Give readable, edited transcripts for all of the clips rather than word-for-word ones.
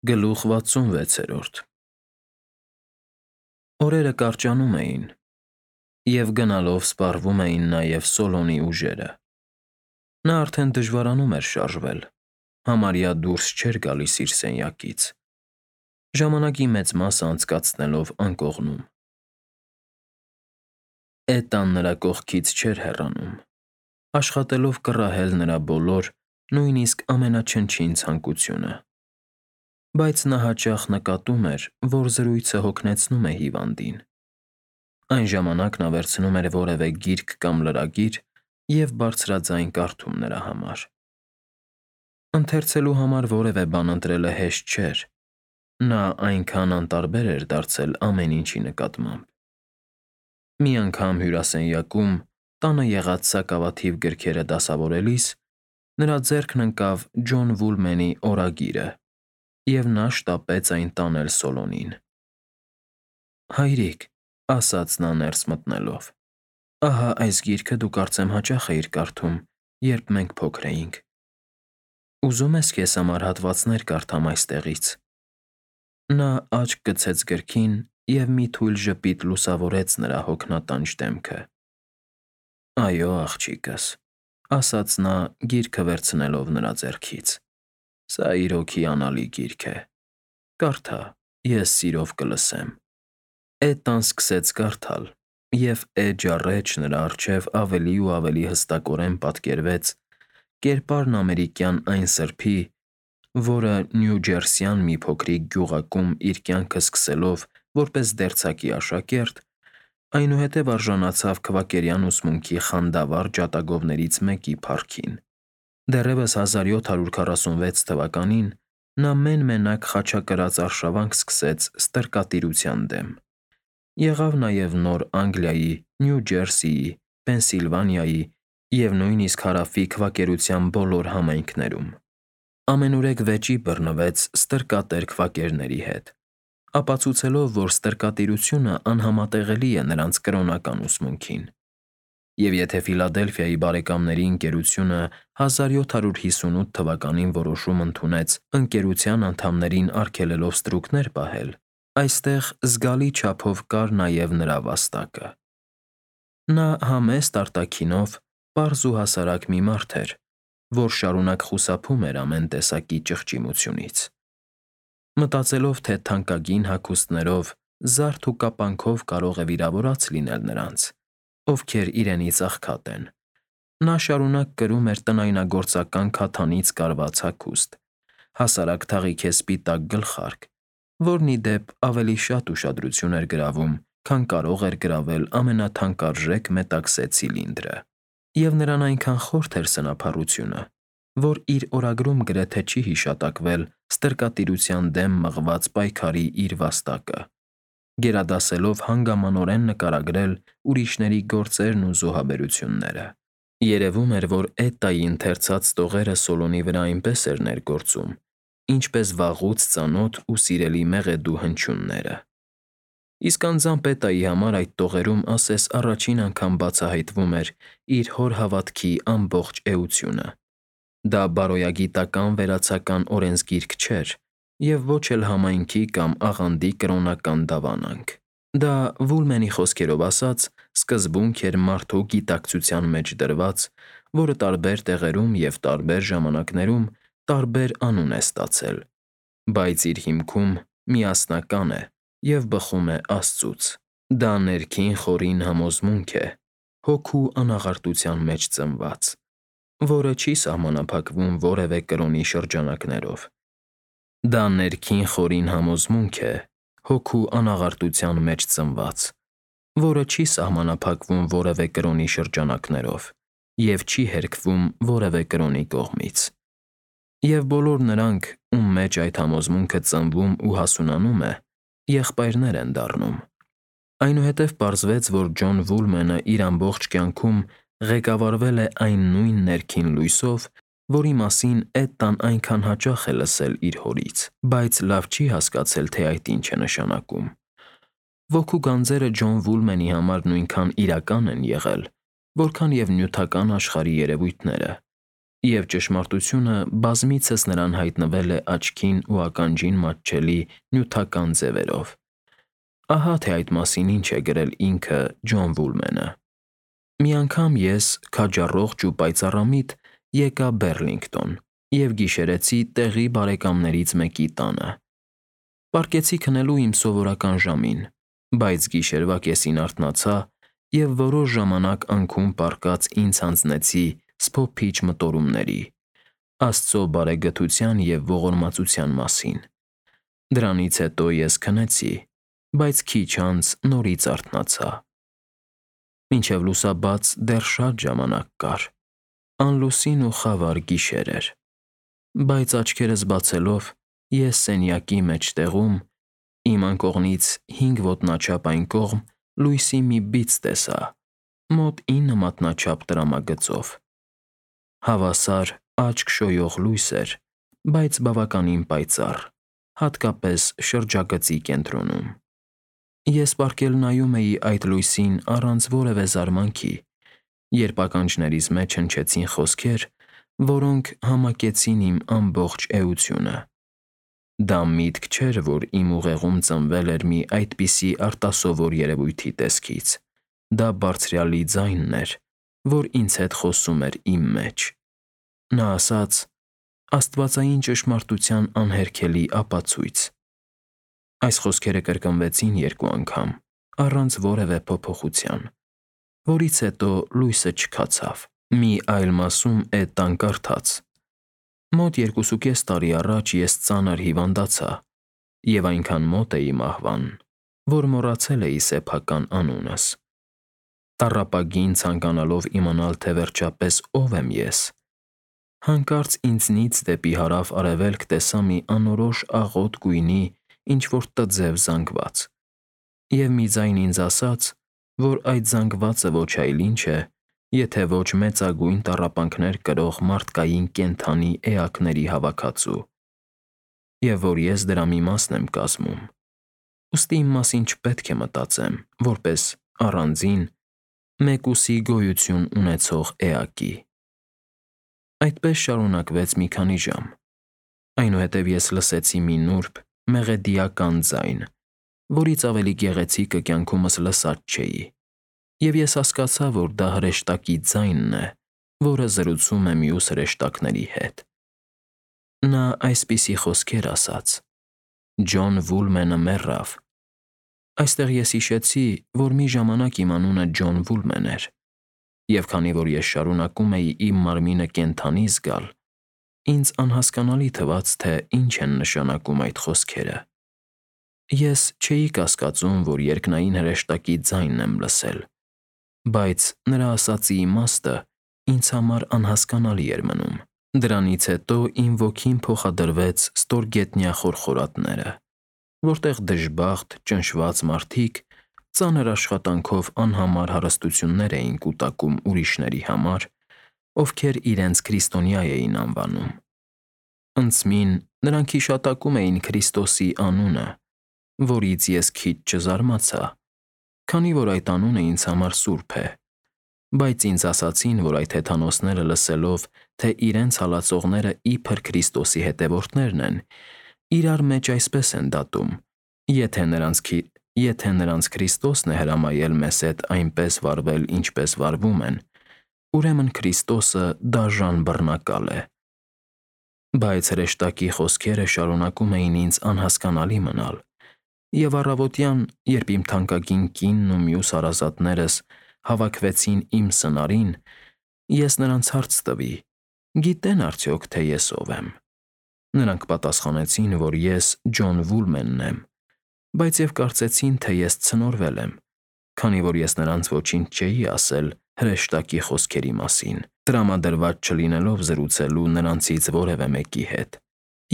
Գլուխ 66 Օրերը կարճանում էին, և գնալով սպառվում էին նաև Սոլոնի ուժերը։ Նա արդեն դժվարանում էր շարժվել, համարյա դուրս չէր գալիս իր սենյակից, ժամանակի մեծ մասը անցկացնելով անկողնում։ Էտան նրա կողքից չէր հեռանում, աշխատելով կռահել նրա բոլոր, նույնիսկ ամենաչնչին ցանկությունը։ Բայց նա հաճախ նկատում էր, որ զրույցը հոգնեցնում է հիվանդին։ Այն ժամանակ նա վերցնում էր որևէ գիրք կամ լրագիր և բարձրաձայն կարդում նրա համար։ Ընթերցելու համար որևէ բան ընտրելը հեշտ չէր, նա այնքան անտարբեր էր դարձել ամեն ինչի նկատմամբ։ Մի անգամ հյուրասենյակում, տանը եղած սակավաթիվ գրքերը դասավորելիս, նրա ձեռքն ընկավ Ջոն Վուլմենի օրագիրը, և նա շտապեց այն տանել Սոլոնին։ «Հայրիկ», ասաց նա ներս մտնելով, «ահա այս գիրքը դու կարծեմ հաճախ էիր կարդում, երբ մենք փոքր էինք։ Ուզում ես քեզ համար հատվածներ կարդամ այստեղից»։ Նա աչք գցեց գրքին, և մի թույլ ժպիտ լուսավորեց նրա հոգնատանջ դեմքը։ «Այո, աղջիկս», ասաց նա՝ գիրքը վերցնելով նրա ձեռքից, «սա իրոք հիանալի գիրք է։ Կարդա, ես սիրով կլսեմ»։ Էտան սկսեց կարդալ, և էջ առ էջ նրա առջև ավելի ու ավելի հստակորեն պատկերվեց կերպարն ամերիկյան այն սրբի, որը Նյու Ջերսիյան մի փոքրիկ գյուղակում իր կյանքը սկսելով որպես դերձակի աշակերտ, այնուհետև արժանացավ քվակերյան ուսմունքի խանդավառ ջատագովներից մեկի փառքին։ Դեռևս 1746 թվականին նա մեն-մենակ խաչակրաց արշավանք սկսեց ստրկատիրության դեմ։ Եղավ նաև Նոր Անգլիայի, Նյու Ջերսիի, Պենսիլվանիայի և նույնիսկ Հարավի քվակերության բոլոր համայնքներում։ Ամենուրեք վեճի բռնվեց ստրկատեր քվակերների հետ, ապացուցելով, որ ստրկատիրությունը անհամատեղելի է նրանց կրոնական ուսմունքին։ Եվ եթե Ֆիլադելֆիայի բարեկամների ընկերությունը 1758 թվականին որոշում ընդունեց ընկերության անդամներին արգելելով ստրուկներ պահել, այստեղ զգալի չափով կար նաև նրա վաստակը։ Նա համեստ արտաքինով պարզ ու հասարակ մի մարդ էր, որ շարունակ խուսափում էր ամեն տեսակի ճղճիմությունից։ Մտածելով, թե թանկագին հագուստներով, զարդ ու կապանքով կարող է վիրավորած լինել նրանց, ովքեր իրենից աղքատ են, նա շարունակ կրում էր տնայնագործական քաթանից կարված հագուստ, հասարակ թաղիքե սպիտակ գլխարկ, որն ի դեպ ավելի շատ ուշադրություն էր գրավում, քան կարող էր գրավել ամենաթանկարժեք մետաքսե ցիլինդրը։ Եվ նրան այնքան խորթ էր սնափառությունը, որ իր օրագրում գրեթե չի հիշատակվել ստրկատիրության դեմ մղված պայքարի իր վաստակը, գերադասելով հանգամանորեն նկարագրել ուրիշների գործերն ու զոհաբերությունները։ Երևում էր, որ Էտայի ընթերցած տողերը Սոլոնի վրա այնպես էր ներգործում, ինչպես վաղուց ծանոթ ու սիրելի մեղեդու հնչյունները։ Իսկ անձամբ Էտայի համար այդ տողերում ասես առաջին անգամ բացահայտվում էր իր հոր հավատքի ամբողջ էությունը։ Դա բարոյագիտական վերացական օրենսգիրք չէր և ոչ էլ համայնքի կամ աղանդի կրոնական դավանանք։ Դա, Վուլմենի խոսքերով ասած, սկզբունք էր մարդու գիտակցության մեջ դրված, որը տարբեր տեղերում և տարբեր ժամանակներում տարբեր անուն է ստացել, բայց իր հիմքում միասնական է և բխում է Աստծուց։ Դա ներքին խորին համոզմունք է, հոգու անաղարտության մեջ ծնված, որը չի սահմանափակվում որևէ կրոնի շրջանակներով։ Դա ներքին խորին համոզմունք է, հոգու անաղարտության մեջ ծնված, որը չի սահմանափակվում որևէ կրոնի շրջանակներով և չի հերքվում որևէ կրոնի կողմից։ Եվ բոլոր նրանք, ում մեջ այդ համոզմունքը ծնվում ու հասունանում է, եղբայրներ են դառնում։ Այնուհետև պարզվեց, որ Ջոն Վուլմենը իր ամբողջ կյանքում ղեկավարվել է այն նույն ներքին լույսով, որի մասին Էտան այնքան հաճախ է լսել իր հորից, բայց լավ չի հասկացել, թե այդ ինչ է նշանակում։ Ոգու գանձերը Ջոն Վուլմենի համար նույնքան իրական են եղել, որքան և նյութական աշխարհի երևույթները, Եվ ճշմարտությունը բազմիցս նրան հայտնվել է աչքին ու ականջին մատչելի նյութական ձևերով։ Ահա թե այդ մասին ինչ է գրել ինքը Ջոն Վուլմենը. «Մի անգամ ես, քաջառողջ ու պայծառամիտ, եկա Բեռլինգտոն և գիշերեցի տեղի բարեկամներից մեկի տանը։ Պառկեցի քնելու իմ սովորական ժամին, բայց գիշերվա կեսին արթնացա և որոշ ժամանակ անքուն պառկած ինձ հանձնեցի սփոփիչ մտորումների, Աստծո բարեգթության և ողորմածության մասին։ Դրանից հետո ես քնեցի, բայց քիչ անց նորից արթնացա։ Մինչև լուսաբաց դեռ շատ ժամանակ կար, անլուսին ու խավար գիշեր էր, բայց աչքերս բացելով ես սենյակի մեջտեղում, իմ անկողնից 5 ոտնաչափ այն կողմ, լույսի մի բիծ տեսա, մոտ 9 մատնաչափ տրամագծով։ Հավասար աչք շոյող լույս էր, բայց բավականին պայծառ, հատկապես շրջագծի կենտրոնում։ Ես պառկել նայում էի այդ լույսին առանց որևէ զարմանքի, երբ ականջներիս մեջ հնչեցին խոսքեր, որոնք համակեցին իմ ամբողջ էությունը։ Դա միտք չէր, որ իմ ուղեղում ծնվել էր մի այդպիսի արտասովոր երևույթի տեսքից, դա Բարձրյալի ձայնն էր, որ ինձ հետ խոսում էր իմ մեջ։ Նա ասաց. «Աստվածային ճշմարտության անհերքելի ապացույց»։ Այս խոսքերը կրկնվեցին 2 անգամ, առանց որևէ փոփոխության, որից հետո լույսը չքացավ։ Մի այլ մասում Էտան կարդաց. «Մոտ 2.5 տարի առաջ ես ծանր հիվանդացա և այնքան մոտ էի մահվան, որ մոռացել էի սեփական անունս։ Տառապագին ցանկանալով իմանալ, թե վերջապես ով եմ ես, հանկարծ ինձնից դեպի հարավ-արևելք տեսա մի անորոշ աղոտ գույնի ինչ-որ տձև զանգված, և մի ձայն ինձ ասաց, որ այդ զանգվածը ոչ այլ ինչ է, եթե ոչ մեծագույն տառապանքներ կրող մարդկային կենդանի էակների հավաքածու, և որ ես դրա մի մասն եմ կազմում, ուստի իմ մասին չպետք է մտածեմ, որպես առանձին, մեկուսի գոյություն ունեցող էակի»։ Այդպես շարունակվեց մի քանի ժամ։ Այնուհետև ես լսեցի մի նուրբ, մեղեդիական ձայն, որից ավելի գեղեցիկը կյանքումս լսած չէի, և ես հասկացա, որ դա հրեշտակի ձայնն է, որը զրուցում է մյուս հրեշտակների հետ։ Նա այսպիսի խոսքեր ասաց. «Ջոն Վուլմենը մեռավ»։ Այստեղ ես հիշեցի, որ մի ժամանակ իմ անունը Ջոն Վուլմեն էր, և քանի որ ես շարունակում էի իմ մարմինը կենդանի զգալ, ինձ անհասկանալի թվաց, թե ինչ են նշանակում այդ խոսքերը։ Ես չէի կասկածում, որ երկնային հրեշտակի ձայնն եմ լսել, բայց նրա ասածի իմաստը ինձ համար անհասկանալի էր մնում։ Դրանից հետո իմ ոգին փոխադրվեց ստորգետնյա խորխորատները, որտեղ դժբախտ, ճնշված մարդիկ ծանր աշխատանքով անհամար հարստություններ էին կուտակում ուրիշների համար, ովքեր իրենց քրիստոնյա էին անվանում։ Ընծմին նրանք հիշատակում էին Քրիստոսի անունը, որից ես քիչ չզարմացա, քանի որ այդ անունը ինձ համար սուրբ է, բայց ինձ ասացին, որ այդ հեթանոսները լսելով, թե իրենց հալածողները իբր Քրիստոսի հետևորդներն են, իրար մեջ այսպես են դատում. եթե նրանց Քրիստոսն է հրամայել մեզ հետ այնպես վարվել, ինչպես վարվում են, ուրեմն Քրիստոսը դաժան բռնակալ է։ Բայց հրեշտակի խոսքերը շարունակում էին ինձ անհասկանալի մնալ, և առավոտյան, երբ իմ թանկագին կինն ու մյուս հարազատներս հավաքվեցին իմ սնարին, ես նրանց հարց տվի. գիտե՞ն արդյոք, թե ես ով եմ։ Նրանք պատասխանեցին, որ ես Ջոն Վուլմենն եմ, բայց և կարծեցին, թե ես ցնորվել եմ, քանի որ ես նրանց ոչինչ չէի ասել հրեշտակի խոսքերի մասին, տրամադրված չլինելով զրուցելու նրանցից որևէ մեկի հետ,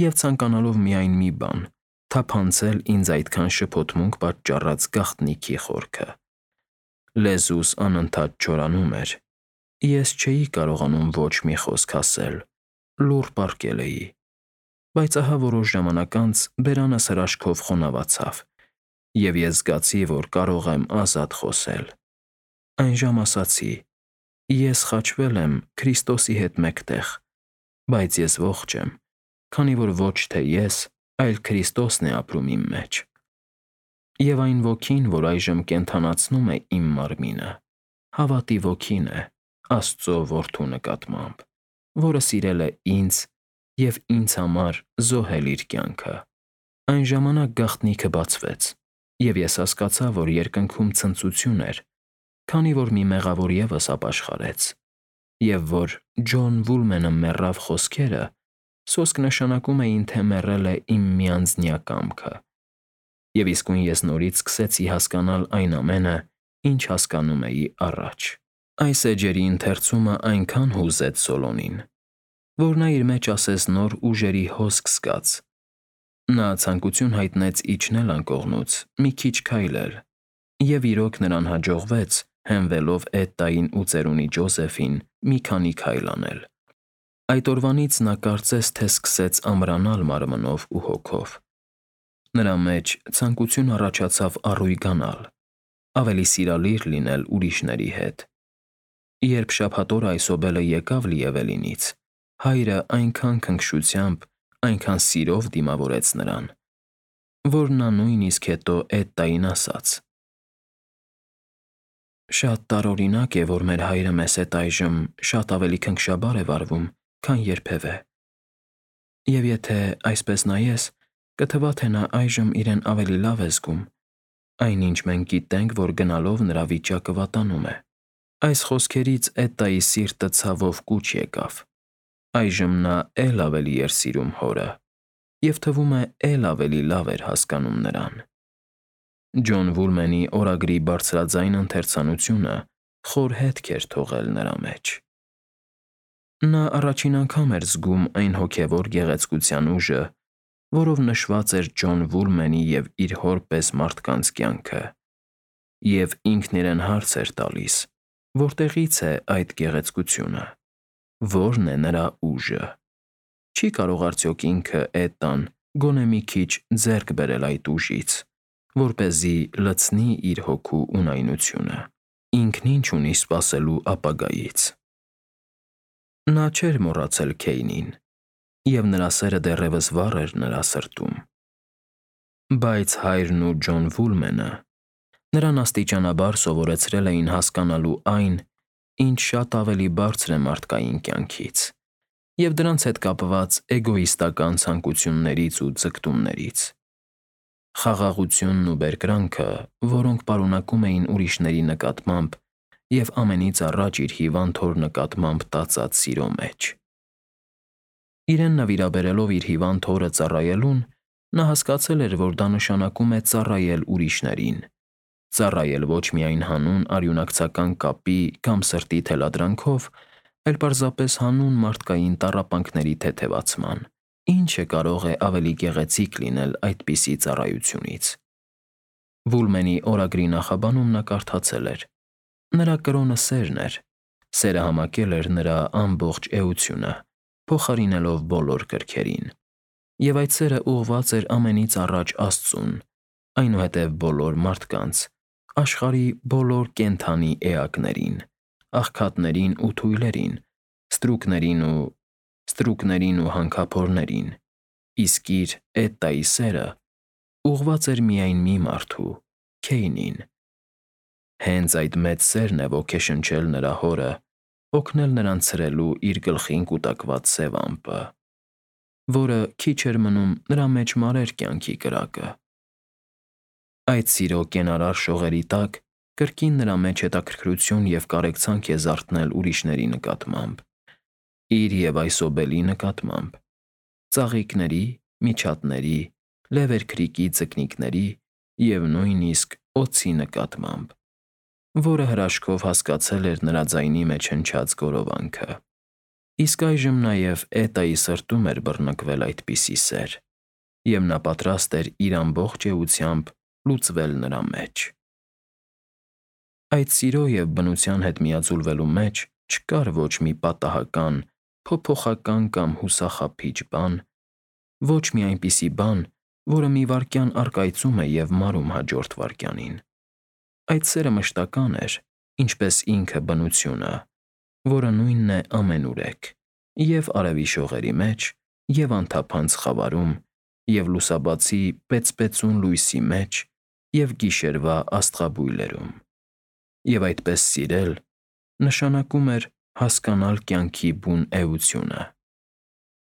և ցանկանալով միայն մի բան՝ թափանցել ինձ այդքան շփոթմունք պատճառած գաղտնիքի խորքը։ Լեզուս անընդհատ չորանում էր, ես չէի կարողանում ոչ մի խոսք ասել, լուռ պառկել էի, բայց ահա որոշ ժամանակ անց բերանս հրաշքով խոնավացավ, և ես զգացի, որ կարող եմ ազատ խոսել։ Այն ժամ ասացի. «Ես խաչվել եմ Քրիստոսի հետ մեկտեղ բայց ես ողջ եմ, քանի որ ոչ թե ես, այլ Քրիստոսն է ապրում իմ մեջ։ Եվ այն ոգին, որ այժմ կենդանացնում է իմ մարմինը, հավատի ոգին է Աստծո որդու նկատմամբ, որը սիրել է ինձ և ինձ համար զոհել իր կյանքը։ Այն ժամանակ գաղտնիքը բացվեց, և ես հասկացա, որ երկնքում ցնծություն էր, քանի որ մի մեղավոր ևս ապաշխարեց, և որ Ջոն Վուլմենը մեռավ խոսքերը սոսկ նշանակում էին, թե մեռել է իմ միանձնյա կամքը, և իսկույն ես նորից սկսեցի հասկանալ այն ամենը, ինչ հասկանում էի առաջ։ Այս էջերի ընթերցումը այնքան հուզեց Սոլոմին, որ նա իր մեջ ասես նոր ուժերի հոսք զգաց։ Նա ցանկություն հայտնեց իջնել անկողնուց, մի քիչ քայլել, և իրոք նրան հաջողվեց, հենվելով Էդդային ու ծերունի Ջոզեֆին, մի քանի քայլ անել։ Այդ օրվանից նա կարծես թե սկսեց ամրանալ մարմնով ու հոգով։ Նրա մեջ ցանկություն առաջացավ առույգանալ, ավելի սիրալիր լինել ուրիշների հետ։ Երբ շաբաթ օրը այսօբելը եկավ Լիևելինից, հայրը այնքան քնքշությամբ, այնքան սիրով դիմավորեց նրան, որ նա նույնիսկ հետո Էդդային ասաց. «Շատ տարօրինակ է, որ մեր հայրը մեզ հետ այժմ շատ ավելի քնքշաբար է վարվում, քան երբևէ։ Եվ եթե այսպես նայես, կթվա, թե նա այժմ իրեն ավելի լավ է զգում, այնինչ մենք գիտենք, որ գնալով նրա վիճակը վատանում է»։ Այս խոսքերից Էդդայի սիրտը ցավով կուչ եկավ։ Այժմ նա էլ ավելի էր սիրում հորը, և թվում է էլ ավելի լավ էր հասկանում նրան։ Ջոն Վուլմենի օրագրի բարձրաձայն ընթերցանությունը խոր հետք էր թողել նրա մեջ։ Նա առաջին անգամ էր զգում այն հոգևոր գեղեցկության ուժը, որով նշված էր Ջոն Վուլմենի և իր հոր պես մարդկանց կյանքը, և ինքն իրեն հարց էր տալիս. որտեղի՞ց է այդ գեղեցկությունը, ո՞րն է նրա ուժը։ Չի՞ կարող արդյոք ինքը Էդդան գոնե մի քիչ ձեռք բերել այդ ուժից, որպեսզի լցնի իր հոգու ունայնությունը։ Ինքն ինչ ունի սպասելու ապագայից։ Նա չէր մոռացել Քեյնին, և նրա սերը դեռևս վառ էր նրա սրտում։ Բայց հայրն ու Ջոն Վուլմենը նրան աստիճանաբար սովորեցրել էին հասկանալու այն, ինչ շատ ավելի բարձր է մարդկային կյանքից, և դրանց հետ կապված էգոիստական ցանկություններից ու ձգտումներից։ Խաղաղությունն ու բերկրանքը, որոնք պարունակում էին ուրիշների նկատմամբ և ամենից առաջ իր հիվանդ հոր նկատմամբ տածած սիրո մեջ։ Իրեն նվիրաբերելով իր հիվանդ հորը ծառայելուն, նա հասկացել էր, որ դա նշանակում է ծառայել ուրիշներին, ծառայել ոչ միայն հանուն արյունակցական կապի կամ սրտի թելադրանքով, այլ պարզապես հանուն մարդկային տառապանքների թեթևացման։ Ի՞նչը կարող է ավելի գեղեցիկ լինել այդպիսի ծառայությունից։ Վուլմենի օրագրի նախաբանում նա կարդացել էր. «Նրա կրոնը սերն էր, սերը համակել էր նրա ամբողջ էությունը, փոխարինելով բոլոր կրքերին։ Եվ այդ սերը ուղղված էր ամենից առաջ Աստծուն, այնուհետև բոլոր մարդկանց, աշխարհի բոլոր կենդանի էակներին, աղքատներին ու թույլերին, ստրուկներին ու հանքափորներին, իսկ իր Էդդայի սերը ուղղված էր միայն մի մարդու՝ Քեյնին։ Հենց այդ մեծ սերն է ոգեշնչել նրա հորը օգնել նրան ցրելու իր գլխին կուտակված սև ամպը, որը քիչ էր մնում նրա մեջ մարեր կյանքի կրակը։ Այդ սիրո կենարար շողերի տակ կրկին նրա մեջ հետաքրքրություն և կարեկցանք է զարթնել ուրիշների նկատմամբ, իր և այսօբելի նկատմամբ, ծաղիկների, միջատների, լևերքրիկի ձկնիկների և նույնիսկ օձի նկատմամբ, որը հրաշքով հասկացել էր նրա ձայնի մեջ հնչած գորովանքը։ Իսկ այժմ նաև Էդդայի սրտում էր բռնկվել այդպիսի սեր, և նա պատրաստ էր իր ամբողջ էությամբ լուծվել նրա մեջ։ Այդ սիրո և բնության հետ միաձուլվելու մեջ չկար ոչ մի պատահական, փոփոխական կամ հուսախաբիչ բան, ոչ մի այնպիսի բան, որը մի վայրկյան առկայծում է և մարում հաջորդ վայրկյանին։ Այդ սերը մշտական էր, ինչպես ինքը բնությունը, որը նույնն է ամենուրեք, Եվ արևի շողերի մեջ, և անթափանց խավարում, և լուսաբացի պեծպեցուն լույսի մեջ, և գիշերվա աստղաբույլերում։ Եվ այդպես սիրել նշանակում էր հասկանալ կյանքի բուն էությունը։